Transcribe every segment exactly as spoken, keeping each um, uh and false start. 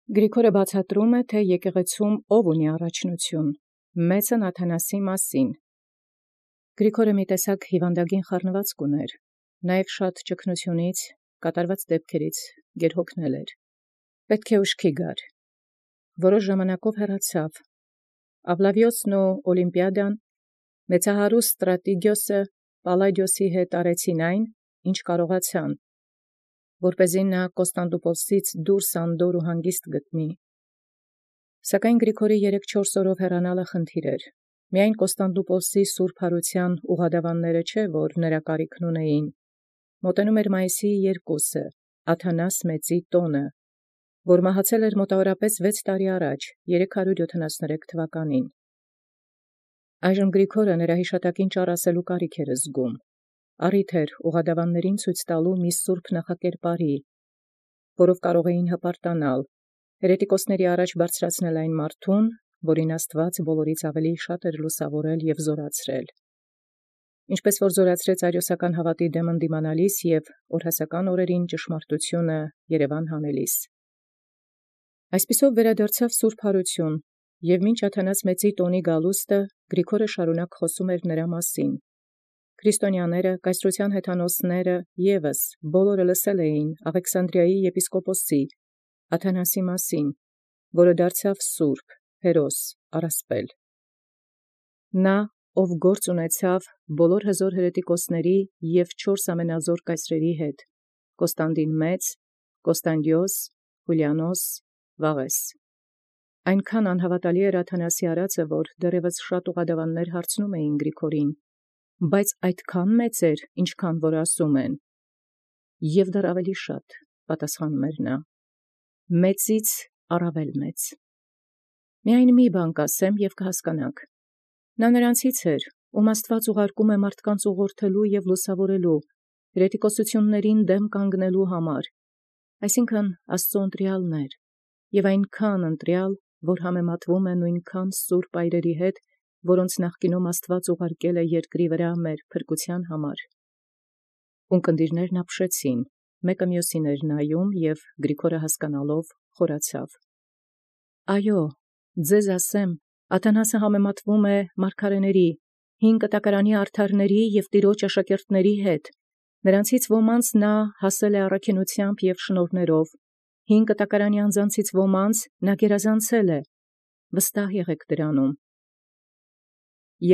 Գրիգորը բացատրում է, թէ եկեղեցւոյ ով ունի առաջնութիւն, մեծն Աթանասի մասին։ Գրիգորը մի տեսակ հիւանդագին խառնուածք ունէր, նաև շատ ճգնութիւնից, կատարված դեպքերից գերհոգնել էր։ Պետք է ուշքի գար։ Որոշ ժամանակով հեռացավ։ Աբլավիոսն ու Օլիմպիադան մեծահարուստ Ստրատիգիոսը Պալլադիոսի հետ արեցին այն, ինչ կարողացան, որպեսզի նա Կոստանդնուպոլսից դուրս անդոր ու հանգիստ գտնի։ Սակայն Գրիգորի երեք-չորս օրով հեռանալը խնդիր էր։ Միայն Կոստանդնուպոլսի սուրբ յարութեան ուղղադավանները չէ, որ նրա կարիքն ունեին։ Մոտենում էր մայիսի երկուսը, Աթանաս մեծի տոնը, որ մահացել էր մոտավորապես վեց տարի առաջ, երեք հարյուր յոթանասուներեք թվականին։ Այժմ Գրիգորը նրա յիշատակին ճառ ասելու կարիք էր զգում։ Առիթ էր ուղղադավաններին ցույց տալու մի սուրբ նախակերպարի, որով կարող էին հպարտանալ, հերետիկոսների առաջ բարձրացնել այն մարդուն, որին Աստուած բոլորից ավելի շատ էր լուսաւորել և զորացրել։ Ինչպես որ զորացրեց արիոսական հաւատի դեմ ընդդիմանալիս և օրհասական օրերին ճշմարտութիւնը երևան հանելիս։ Այսպիսով վերադարձավ սուրբ յարութիւն, և մինչ Աթանաս մեծի տոնի գալուստը Գրիգորը շարունակ խոսում էր նրա մասին։ Քրիստոնյաները, կայսրութեան հեթանոսները եւս բոլորը լսել էին Աղեքսանդրիայի եպիսկոպոսի Աթանասի մասին, որը դարձավ սուրբ, հերոս, առասպել։ Նա, ով գործ ունեցավ բոլոր հզոր հրետիկոսների և չորս ամենազոր կայսրերի հետ, Կոստանդին մեծ, Կոստանդիոս, Յուլիանոս, Վաղէս։ Այնքան անհաւատալի էր Աթանասի արածը, որ դեռևս շատ ուղղադավաններ հարցնում էին Գրիգորին, բայց այդքան մեծ էր, ինչքան որ ասում են։ Եւ դեռ ավելի շատ, պատասխանում էր նա, մեծից առավել մեծ։ Միայն մի բան կ'ասեմ և կհասկանաք. նա նրանցից էր, ում Աստուած ուղարկում է մարդկանց ուղղորդելու և լուսավորելու, հրետիկոսություններին դեմ կանգնելու համար, այսինքն Աստուծոյ ընտրեալն էր, և այնքան ընտրեալ, որ համեմատվում է նույնքան սուրբ այրերի հետ, որոնց նախկինում Աստուած ուղարկել է երկրի վրա մեր փրկութեան համար։ Ունկնդիրներն ապշեցին, մեկը մյուսին էր նայում, և Գրիգորը հասկանալով խորացավ. «Այո, ձեզ ասեմ, Աթանասը համեմատվում է մարգարեների, հին կտակարանի արդարների և Տիրոջ աշակերտների հետ. նրանցից ոմանց նա հասել է առաքինութեամբ և շնորհներով, հին կտակարանի անձանցից ոմանց նա գերազանցել է. վստահ եղեք դրանում»։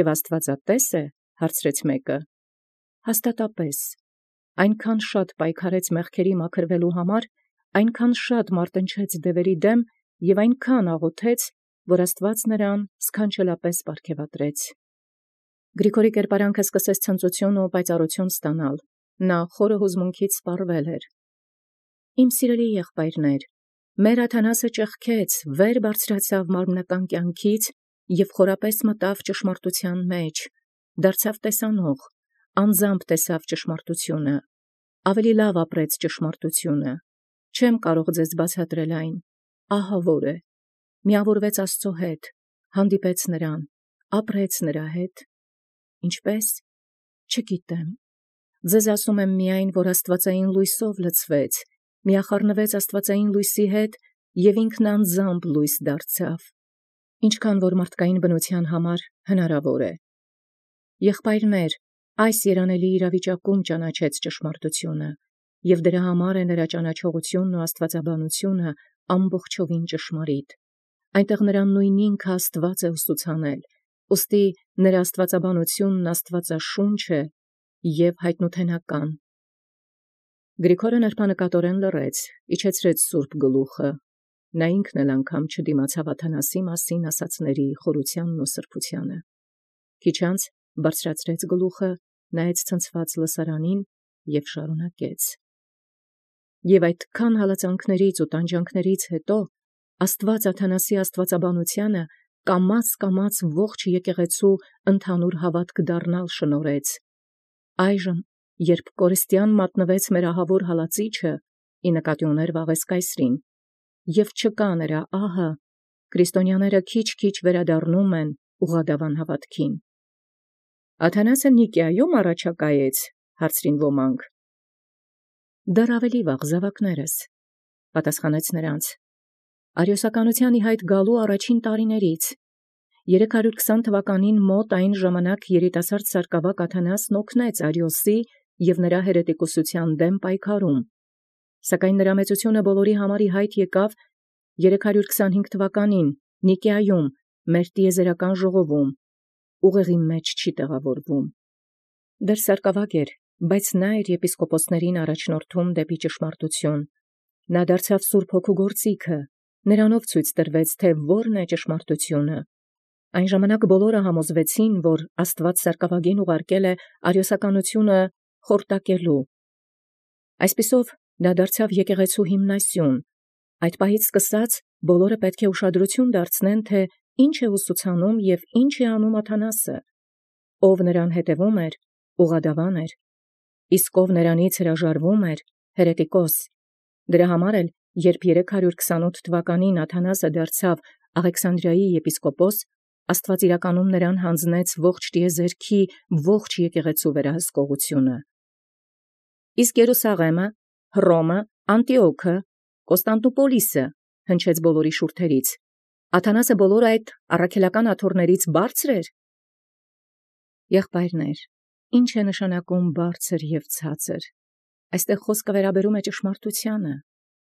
«Եւ աստուածատե՞ս է, հարցրեց մեկը։ Հաստատապէս, այնքան շատ պայքարեց մեղքերի մաքրվելու համար, այնքան շատ մարտնչեց դևերի դեմ և այնքան աղոթեց, որ Աստուած նրան սքանչելապէս պարգևատրեց։ Գրիգորի կերպարանքը սկսեց ցնծութիւն ու պայծառութիւն ստանալ, նա խորը հուզմունքից սպառվել էր։ «Իմ սիրելի եղբայրներ, մեր Աթանասը ճեղքեց, վեր բարձրացավ մարմնական կյանքից և խորապես մտավ ճշմարտութեան մեջ, դարձավ տեսանող, անձամբ տեսավ ճշմարտութիւնը, ավելի լավ ապրեց ճշմարտութիւնը, չեմ կարող ձեզ բացատրել այն, ահա որ է. միավորվեց Աստուծոյ հետ, հանդիպեց նրան, ապրեց նրա հետ։ Ինչպե՞ս, չգիտեմ, ձեզ ասում եմ միայն, որ աստուածային լույսով լցվեց, միախառնվեց աստուածային լույսի հետ և ինքն անձամբ լույս դարձավ, ինչքան որ մարդկային բնութեան համար հնարավոր է։ Եղբայրներ, այս երանելի իրավիճակում ճանաչեց ճշմարտութիւնը, և դրա համար է նրա ճանաչողութիւնն ու աստուածաբանութիւնը ամբողջովին ճշմարիտ։ Այնտեղ նրան նույն ինքը Աստուած է ուսուցանել, ուստի նրա աստուածաբանութիւնն աստուածաշունչ է և յայտնութենական։ Գրիգորը նրբանկատորեն լռեց, իջեցրեց սուրբ գլուխը, նա ինքն էլ անգամ չդիմացավ Աթանասի մասին ասացների խորութեանն ու սրբութեանը։ Քիչ անց բարձրացրեց գլուխը, նայեց ցնցված լսարանին և շարունակեց. «Եւ այդքան հալածանքներից ու տանջանքներից հետո Աստուած Աթանասի աստուածաբանութեանը կամաց-կամաց ողջ եկեղեցու ընդհանուր հաւատք դառնալ շնորհեց։ Այժմ, երբ կորստյան մատնվեց մեր ահավոր հալածիչը, ի նկատի ուներ Վաղէս կայսրին, և չկա նրա ահը, քրիստոնյաները քիչ-քիչ վերադառնում են ուղղադավան հաւատքին»։ «Աթանասը Նիկիայում առաջակայեց, հարցրին ոմանք։ Դեռ ավելի վաղ, զաւակներս, պատասխանեց նրանց, Արիոսականութեան իհայտ գալու առաջին տարիներից, երեք հարյուր քսան թվականին մոտ այն ժամանակ երիտասարդ սարկավակ Աթանասն օգնեց Արիոսի և նրա հերետիկոսութեան դեմ պայքարում, սակայն նրա մեծությունը բոլորի համար իհայտ եկավ երեք հարյուր քսանհինգ թվականին Նիկեայում մեր տիեզերական ժողովում, ուղեղի մեջ չի տեղավորվում։ Դեռ սարկավակ էր, բայց նա էր եպիսկոպոսներին առաջնորդում դեպի ճշմարտություն։ Նա դարձավ Սուրբ Հոգու գործիքը, նրանով ցույց տրվեց, թե որն է ճշմարտությունը։ Այն ժամանակ բոլորը համոզվեցին, որ Աստված սարկավագին ուղարկել է արիոսականությունը խորտակելու։ Այսպիսով դա դարձավ եկեղեցու հիմնասյուն։ Այդ պահից սկսած բոլորը պետք է ուշադրություն դարձնեն, թե ինչ է ուսուցանում և ինչ է անում Աթանասը, ով նրան հետևում էր, ուղղադավան էր, իսկ ով նրանից հրաժարվում էր, հերետիկոս։ Դրա համար էլ, երբ երեք հարյուր քսանութ թվականին Աթանասը դարձավ Աղեքսանդրիայի եպիսկոպոս, Աստված իրականում նրան յանձնեց ողջ տիեզերքի ողջ եկեղեցու վերահսկողությունը։ Իսկ Երուսաղեմը, Հռոմը, Անտիոքը, Կոստանդնուպոլիսը հնչեց բոլորի շուրթերից։ Աթանասը բոլոր այդ առաքելական աթոռներից բարձր էր։ Եղբայրներ, ինչ է նշանակում բարձր և ցածր։ Այստեղ խոսքը վերաբերում է ճշմարտությանը։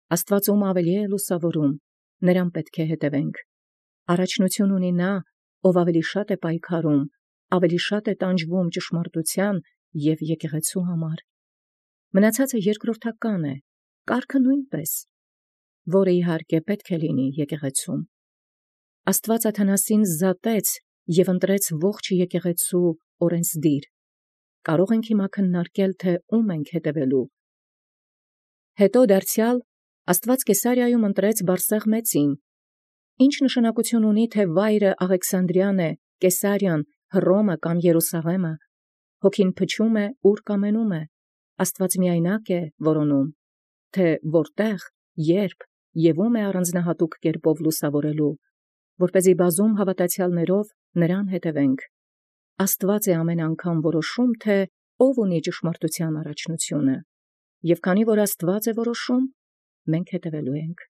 Աստված ում ավելի է լուսավորում, նրան պետք է հետևենք։ Առաջնություն ունի նա, ով ավելի շատ է պայքարում, ավելի շատ է տանջվում ճշմարտության և եկեղեցու համար։ Մնացածը երկրորդական է, կարգը նույնպես, որը իհարկե պետք է լինի եկեղեցում։ Աստված Աթանասին զատեց և ընտրեց ողջ եկեղեցու օրենսդիր։ Կարող ենք հիմա քննարկել, թե ում ենք հետևելու։ Հետո դարձյալ Աստված Կեսարիայում ընտրեց Բարսեղ մեծին։ Ինչ նշանակություն ունի, թե վայրը Աղեքսանդրիան է, Կեսարիան, Հռոմը կամ Երուսաղեմը։ Հոգին փչում է, ուր կամենում է։ Աստված միայնակ է որոնում, թե որտեղ, երբ և ում է առանձնահատուկ կերպով լուսավորելու, որպեսզի բազում հավատացյալներով նրան հետևենք։ Աստված է ամեն անգամ որոշում, թե ով ունի ճշմարտության առաջնությունը, և քանի որ Աստված է որոշում, մենք հետևելու ենք։